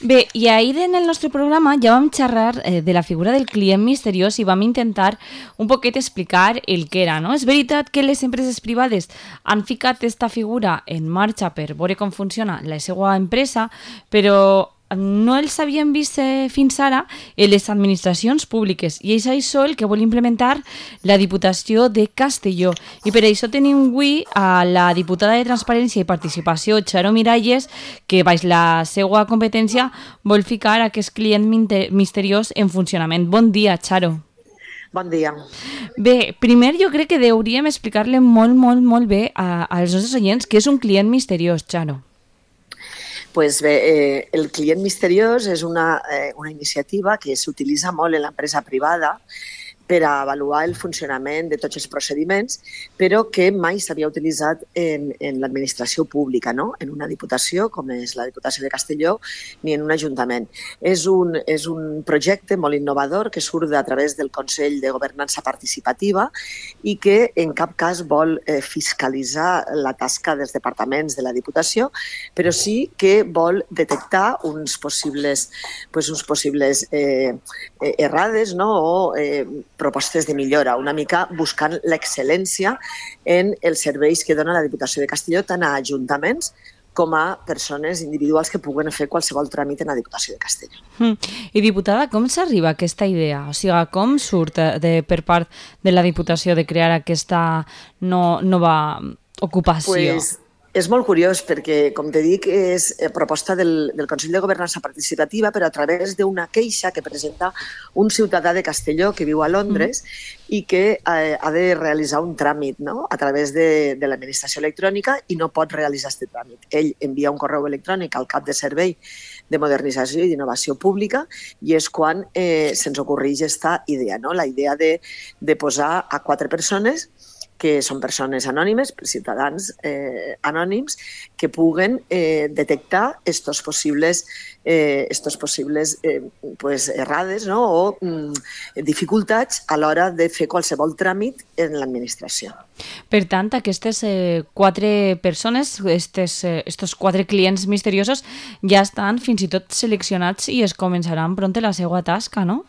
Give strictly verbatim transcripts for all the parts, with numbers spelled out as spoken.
Bé, i ahir en el nostre programa ja vam xerrar eh, de la figura del client misteriós i vam intentar un poquet explicar el que era, no? És veritat que les empreses privades han ficat aquesta figura en marxa per veure com funciona la seva empresa, però no els havien vist eh, fins ara en les administracions públiques, i és això el que vol implementar la Diputació de Castelló. I per això tenim avui a la diputada de Transparència i Participació, Charo Miralles, que baix la seva competència vol ficar aquest client misteriós en funcionament. Bon dia, Charo. Bon dia. Bé, primer jo crec que hauríem explicar-le molt, molt, molt bé a, als nostres oients què és un client misteriós, Charo. Pues bé, eh, el client misteriós és una, eh, una iniciativa que s'utilitza molt en l'empresa privada per a avaluar el funcionament de tots els procediments, però que mai s'havia utilitzat en, en l'administració pública, no? En una diputació, com és la Diputació de Castelló, ni en un ajuntament. És un, és un projecte molt innovador que surt a través del Consell de Governança Participativa i que en cap cas vol eh, fiscalitzar la tasca dels departaments de la Diputació, però sí que vol detectar uns possibles, pues, uns possibles eh, errades, no? O eh, propostes de millora, una mica buscant l'excel·lència en els serveis que dona la Diputació de Castelló tant a ajuntaments com a persones individuals que puguen fer qualsevol tràmit en la Diputació de Castelló. Mm. I, diputada, com s'arriba a aquesta idea? O sigui, com surt de, per part de la Diputació de crear aquesta no, nova ocupació? Pues, és molt curiós perquè, com te dic, és proposta del, del Consell de Governança Participativa, però a través d'una queixa que presenta un ciutadà de Castelló que viu a Londres mm. i que eh, ha de realitzar un tràmit, no? A través de, de l'administració electrònica i no pot realitzar aquest tràmit. Ell envia un correu electrònic al cap de servei de modernització i d'innovació pública i és quan eh, se'ns ocorreix aquesta idea, no? La idea de, de posar a quatre persones que són persones anònimes, ciutadans eh, anònims, que puguen eh, detectar estos possibles, eh, estos possibles eh, pues, errades, no? O mm, dificultats a l'hora de fer qualsevol tràmit en l'administració. Per tant, aquestes eh, quatre persones, estes, eh, estos quatre clients misteriosos, ja estan fins i tot seleccionats i es començaran pront la seva tasca, no?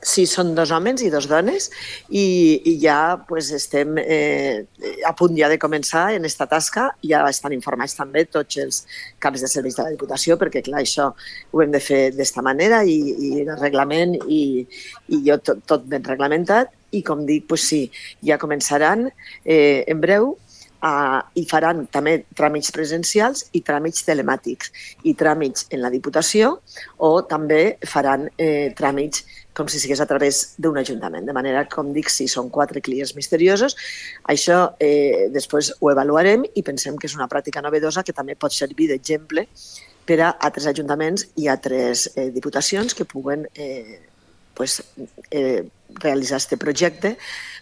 Sí, són dos homes i dos dones i, i ja pues, estem eh, a punt ja de començar en aquesta tasca. Ja estan informats també tots els caps de serveis de la Diputació perquè, clar, això ho hem de fer d'esta manera i, i el reglament i, i jo tot, tot ben reglamentat i, com dic, pues, sí, ja començaran eh, en breu Uh, i faran també tràmits presencials i tràmits telemàtics i tràmits en la Diputació o també faran eh, tràmits com si sigués a través d'un ajuntament. De manera que, com dic, si són quatre clients misteriosos, això eh, després ho avaluarem i pensem que és una pràctica novedosa que també pot servir d'exemple per a altres ajuntaments i altres eh, diputacions que puguen eh, pues, eh, realitzar aquest projecte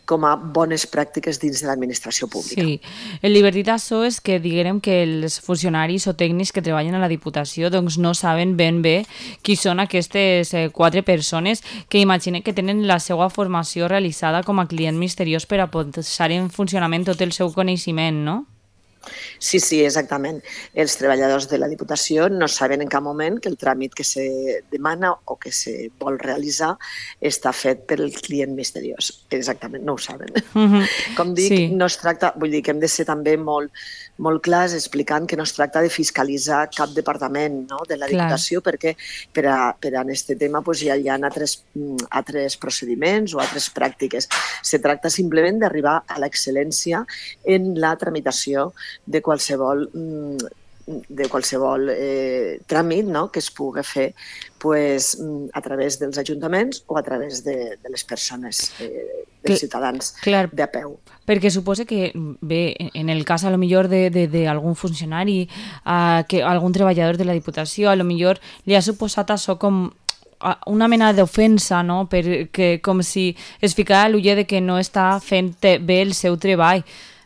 com a bones pràctiques dins de l'administració pública. Sí, el divertit això és que diguem que els funcionaris o tècnics que treballen a la Diputació doncs no saben ben bé qui són aquestes eh, quatre persones que imaginen que tenen la seva formació realitzada com a client misteriós per a posar en funcionament tot el seu coneixement, no? Sí, sí, exactament. Els treballadors de la Diputació no saben en cap moment que el tràmit que se demana o que se vol realitzar està fet per el client misteriós. Exactament, no ho saben. Mm-hmm. Com dic, sí. no es tracta, vull dir que hem de ser també molt, molt clars explicant que no es tracta de fiscalitzar cap departament, no?, de la Diputació, Clar. perquè per a, per a aquest tema pues, ja hi ha altres, altres procediments o altres pràctiques. Se tracta simplement d'arribar a l'excel·lència en la tramitació de qualsevol, de qualsevol eh, tràmit, no?, que es pugui fer pues, a través dels ajuntaments o a través de, de les persones, eh, dels ciutadans Clar, de a peu. Perquè suposa que, bé, en el cas a lo millor d'algun funcionari, uh, que algun treballador de la Diputació, a lo millor li ha suposat això com una mena d'ofensa, no?, perquè com si es ficara a l'ull de que no està fent bé el seu treball.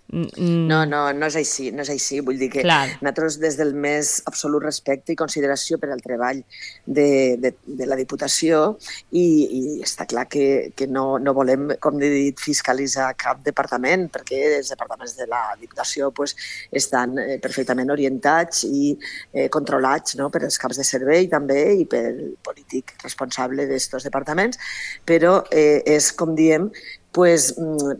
No, no, no és així, no és així. Vull dir que Clar. nosaltres des del més absolut respecte i consideració per al treball de, de, de la Diputació i, i està clar que, que no, no volem, com he dit, fiscalitzar cap departament perquè els departaments de la Diputació pues, estan eh, perfectament orientats i eh, controlats, no?, per els caps de servei també i pel polític responsable d'estos departaments, però eh, és, com diem, pues,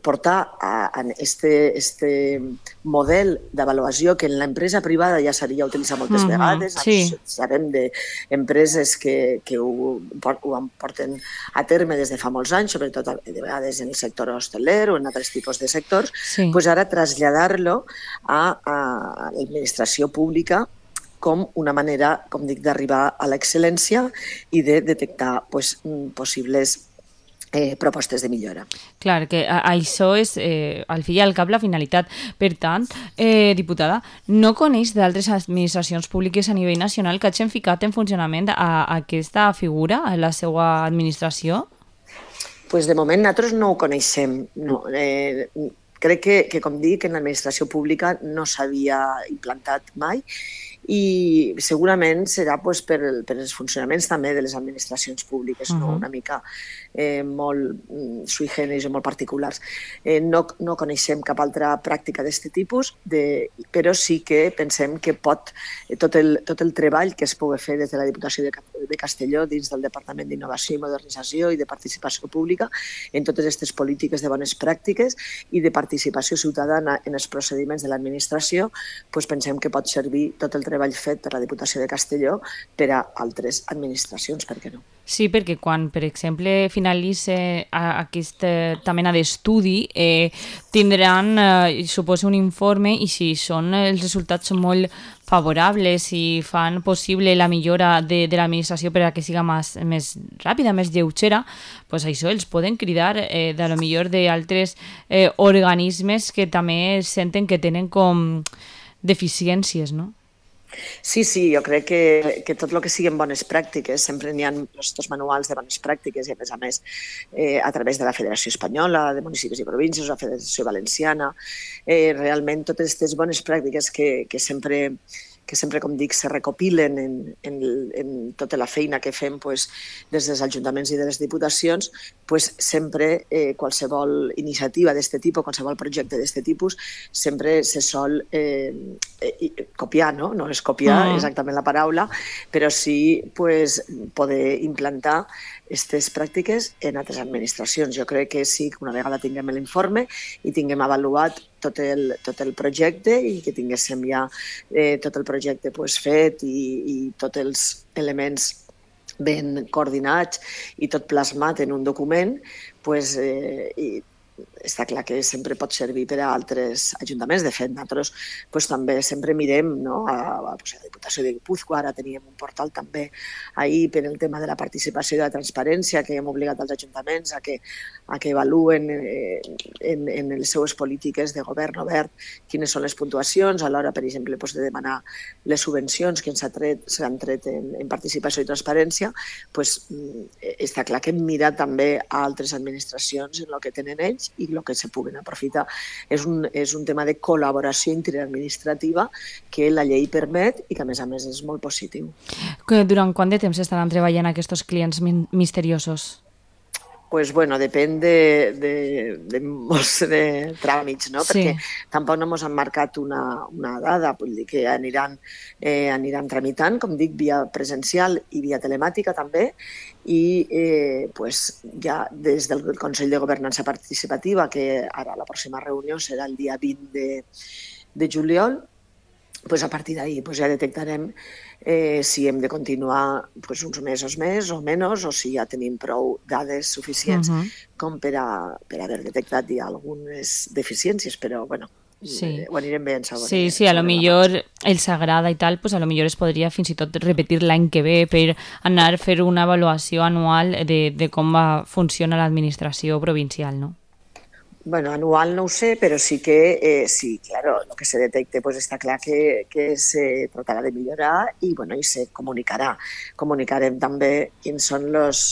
portar a, a este, este model d'avaluació que en l'empresa privada ja s'havia utilitzat moltes uh-huh, vegades. Sí. Sabem d'empreses que, que ho, ho porten a terme des de fa molts anys, sobretot de vegades en el sector hosteler o en altres tipus de sectors, sí. Pues ara traslladar-lo a, a l'administració pública com una manera, com dic, d'arribar a l'excel·lència i de detectar pues, possibles Eh, propostes de millora. Clar, que a, això és, eh, al fi i al cap, la finalitat. Per tant, eh, diputada, no coneix d'altres administracions públiques a nivell nacional que hagin ficat en funcionament a, a aquesta figura, a la seva administració? Pues de moment nosaltres no ho coneixem. No. Eh, crec que, que, com dic, en l'administració pública no s'havia implantat mai i segurament serà pues, per, per els funcionaments també de les administracions públiques, uh-huh. no? Una mica eh, molt sui generis o molt particulars. Eh, no, no coneixem cap altra pràctica d'aquest tipus, de, però sí que pensem que pot, eh, tot, el, tot el treball que es pugui fer des de la Diputació de, de Castelló dins del Departament d'Innovació i Modernització i de Participació Pública en totes aquestes polítiques de bones pràctiques i de participació ciutadana en els procediments de l'administració, pues pensem que pot servir tot el treball fet per la Diputació de Castelló per a altres administracions, per què no? Sí, perquè quan, per exemple, finalitza aquesta mena d'estudi, eh, tindran, eh, suposo, un informe i si són, els resultats són molt favorables i fan possible la millora de, de l'administració per a que siga més, més ràpida, més lleugera, pues això els poden cridar eh, de lo millor d'altres eh, organismes que també senten que tenen com deficiències, no? Sí, sí, jo crec que, que tot el que siguin bones pràctiques, sempre n'hi ha els manuals de bones pràctiques i a més a més eh, a través de la Federació Espanyola, de Municipis i Províncies, la Federació Valenciana, eh, realment totes aquestes bones pràctiques que, que sempre que sempre, com dic, se recopilen en, en, en tota la feina que fem pues, des dels ajuntaments i de les diputacions, pues, sempre eh, qualsevol iniciativa d'aquest tipus, qualsevol projecte d'aquest tipus, sempre se sol eh, eh, copiar, no? No és copiar mm. exactament la paraula, però sí pues, poder implantar aquestes pràctiques en altres administracions. Jo crec que sí, que una vegada tinguem l'informe i tinguem avaluat tot el, tot el projecte i que tinguéssim ja eh, tot el projecte pues, fet i, i tots els elements ben coordinats i tot plasmat en un document, pues, eh, i està clar que sempre pot servir per a altres ajuntaments. De fet, nosaltres pues, també sempre mirem, no? a, a, pues, a la Diputació de Guipúzcoa, ara teníem un portal també ahir per el tema de la participació i de la transparència, que hem obligat als ajuntaments a que, a que evaluen eh, en, en les seues polítiques de govern obert quines són les puntuacions, a l'hora, per exemple, pues, de demanar les subvencions que s'han tret, s'han tret en, en participació i transparència, pues, està clar que hem mirat també a altres administracions en el que tenen ells i el que se puguen aprofitar. És un, és un tema de col·laboració interadministrativa que la llei permet i que, a més a més, és molt positiu. Durant quant de temps estaran treballant aquests clients misteriosos? Pues bueno, depèn de, de, de molts de tràmits, no? Sí. Perquè tampoc no ens han marcat una, una dada, vull dir que aniran, eh, aniran tramitant, com dic, via presencial i via telemàtica també, i eh, pues, ja des del Consell de Governança Participativa, que ara la pròxima reunió serà el dia vint de, de juliol, pues a partir d'ahí pues ja detectarem eh, si hem de continuar pues, uns mesos més o menys o si ja tenim prou dades suficients uh-huh. com per, a, per haver detectat ja algunes deficiències, però bueno, sí. ho anirem bé en segon. Sí, sí, a lo millor els agrada i tal, pues a lo millor es podria fins i tot repetir l'any que ve per anar a fer una avaluació anual de, de com va, funciona l'administració provincial, no? Bueno, anual no ho sé, però sí que, eh, sí, claro, lo que se detecte pues està clar que, que se tratarà de millorar i, bueno, i se comunicarà. Comunicarem també quins són los,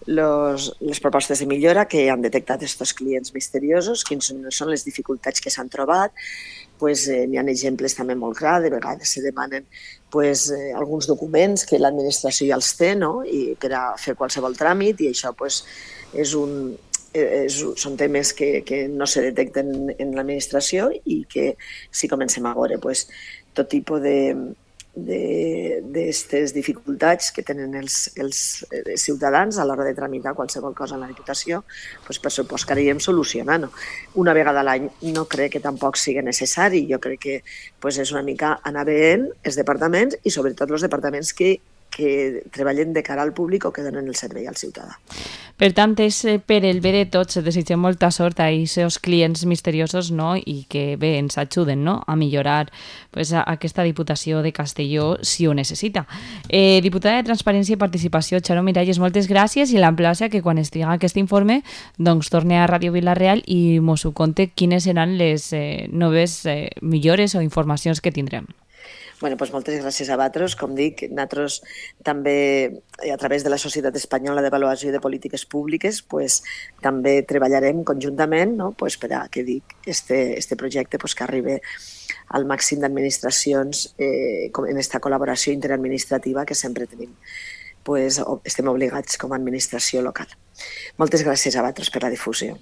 los, les propostes de millora que han detectat aquests clients misteriosos, quins són, són les dificultats que s'han trobat. Pues, eh, n'hi ha exemples també molt clars, de vegades se demanen pues, eh, alguns documents que l'administració ja els té, no? I per a fer qualsevol tràmit, i això pues, és un, és, són temes que, que no se detecten en l'administració i que si comencem a veure pues, tot tipus de d'aquestes dificultats que tenen els, els ciutadans a l'hora de tramitar qualsevol cosa en la Diputació, doncs per supost que anirem solucionant. Una vegada a l'any no crec que tampoc sigui necessari. Jo crec que doncs, és una mica anar veient els departaments i sobretot els departaments que que treballen de cara al públic o que donen el servei al ciutadà. Per tant, és per el bé de tots, desitgem molta sort a aquests clients misteriosos, no? I que bé, ens ajuden, no? A millorar pues, a aquesta Diputació de Castelló si ho necessita. Eh, diputada de Transparència i Participació, Charo Miralles, moltes gràcies i l'emplaça que quan estigui aquest informe doncs torni a Ràdio Vila-real i mos ho conte quines seran les eh, noves eh, millores o informacions que tindrem. Bueno, doncs moltes gràcies a vosaltres. Com dic, nosaltres també, a través de la Societat Espanyola d'Avaluació de Polítiques Públiques, pues, també treballarem conjuntament, no? Pues, per a que dic, este, este projecte pues, que arribi al màxim d'administracions eh, en aquesta col·laboració interadministrativa que sempre tenim. Pues, estem obligats com a administració local. Moltes gràcies a vosaltres per la difusió.